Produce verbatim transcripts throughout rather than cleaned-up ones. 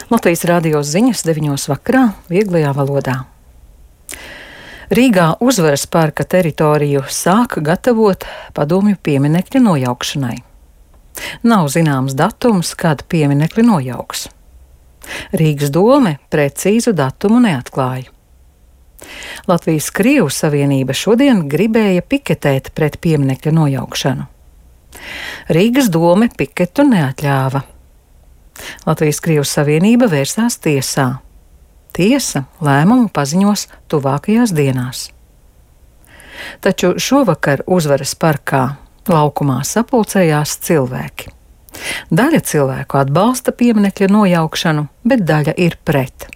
Latvijas radio ziņas deviņos vakarā vieglajā valodā. Rīgā Uzvaras parka teritoriju sāk gatavot padomju pieminekļa nojaukšanai. Nav zināms datums, kad pieminekļi nojauks. Rīgas dome precīzu datumu neatklāja. Latvijas Krievu savienība šodien gribēja piketēt pret pieminekļa nojaukšanu. Rīgas dome piketu neatļāva. Latvijas Krievu savienība vērsās tiesā. Tiesa lēmumu paziņos tuvākajās dienās. Taču šovakar Uzvaras parkā laukumā sapulcējās cilvēki. Daļa cilvēku atbalsta pieminekļa nojaukšanu, bet daļa ir pret.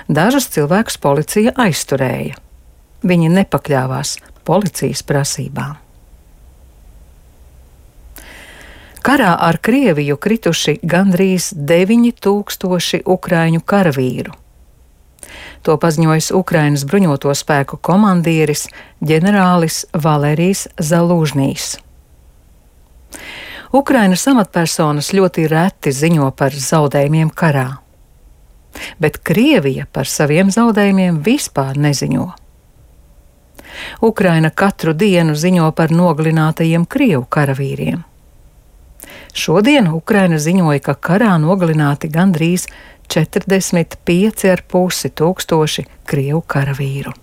Dažus cilvēkus policija aizturēja. Viņi nepakļāvās policijas prasībām. Karā ar Krieviju krituši gandrīz deviņi tūkstoši ukraiņu karavīru. To paziņojis Ukrainas bruņoto spēku komandieris ģenerālis Valērijas Zalūžņijs. Ukrainas amatpersonas ļoti reti ziņo par zaudējumiem karā, bet Krievija par saviem zaudējumiem vispār neziņo. Ukraina katru dienu ziņo par nogalinātajiem Krievu karavīriem. Šodien Ukraina ziņoja, ka karā nogalināti gandrīz četrdesmit pieci ar pusi tūkstoši Krievu karavīru.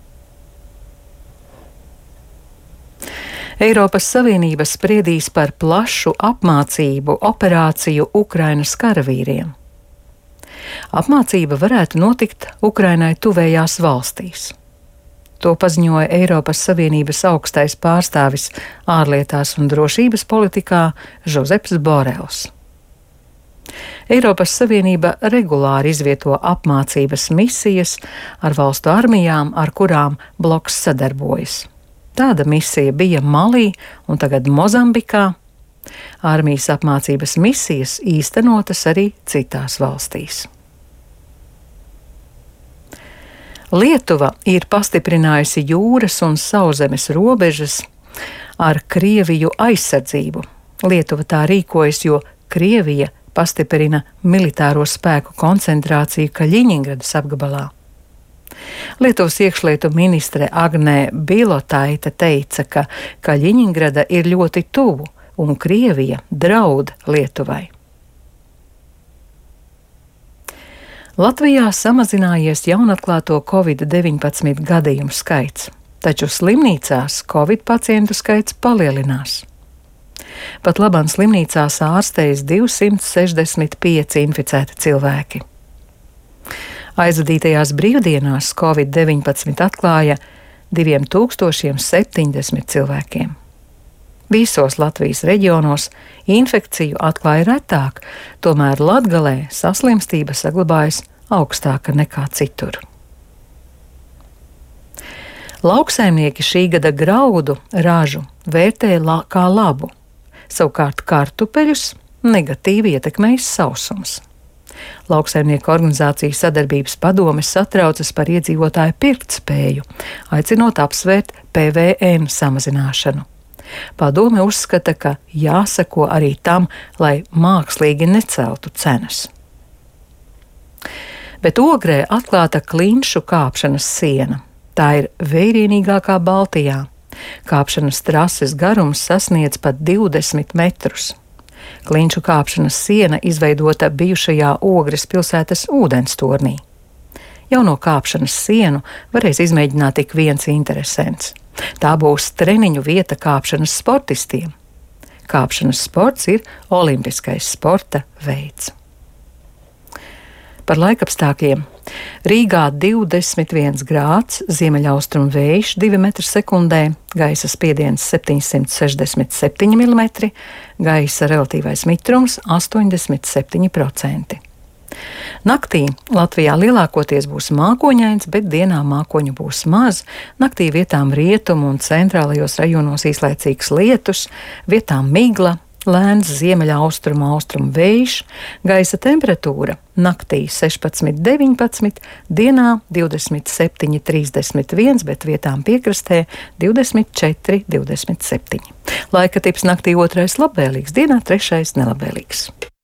Eiropas Savienība spriedīs par plašu apmācību operāciju Ukrainas karavīriem. Apmācība varētu notikt Ukrainai tuvējās valstīs. To paziņoja Eiropas Savienības augstais pārstāvis ārlietās un drošības politikā Žozeps Borels. Eiropas Savienība regulāri izvieto apmācības misijas ar valstu armijām, ar kurām bloks sadarbojas. Tāda misija bija Malī un tagad Mozambikā. Armijas apmācības misijas īstenotas arī citās valstīs. Lietuva ir pastiprinājusi jūras un sauszemes robežas ar Krieviju aizsardzību. Lietuva tā rīkojas, jo Krievija pastiprina militāro spēku koncentrāciju Kaļiņingradas apgabalā. Lietuvas iekšlietu ministre Agnē Bilotaite teica, ka Kaļiņingrada ir ļoti tuvu un Krievija draud Lietuvai. Latvijā samazinājies jaunatklāto covid deviņpadsmit gadījumu skaits, taču slimnīcās covid pacientu skaits palielinās. Pat labāk slimnīcās ārstējas divsimt sešdesmit pieci inficēti cilvēki. Aizvadītajās brīvdienās covid deviņpadsmit atklāja diviem tūkstošiem septiņdesmit cilvēkiem. Visos Latvijas reģionos infekciju atklāja retāk, tomēr Latgalē saslimstība saglabājas augstāka nekā citur. Lauksaimnieki šī gada graudu ražu vērtē la kā labu, savukārt kartupeļus negatīvi ietekmējis sausums. Lauksaimnieku organizāciju sadarbības padome satraucas par iedzīvotāju pirktspēju, aicinot apsvērt P V N samazināšanu. Padome uzskata, ka jāseko arī tam, lai mākslīgi neceltu cenas. Bet Ogrē atklāta klinšu kāpšanas siena. Tā ir vērienīgākā Baltijā. Kāpšanas trases garums sasniedz pat divdesmit metrus. Klinšu kāpšanas siena izveidota bijušajā Ogres pilsētas ūdenstornī. Jauno kāpšanas sienu varēs izmēģināt tik viens interesents. Tā būs treniņu vieta kāpšanas sportistiem. Kāpšanas sports ir olimpiskais sporta veids. Par laikapstākļiem. Rīgā divdesmit viens grāds, ziemeļaustrumu vējš divi metri sekundē, gaisa spiediens septiņsimt sešdesmit septiņi milimetri, gaisa relatīvais mitrums astoņdesmit septiņi procenti. Naktī Latvijā lielākoties būs mākoņains, bet dienā mākoņu būs maz. Naktī vietām rietumu un centrālajos rajonos īslaicīgs lietus, vietām migla, lēns ziemeļaustrumu austrumu vējš, gaisa temperatūra naktī sešpadsmit deviņpadsmit, dienā divdesmit septiņi trīsdesmit viens, bet vietām piekrastē divdesmit četri divdesmit septiņi. Laika tips naktī otrais labvēlīgs, dienā trešais nelabvēlīgs.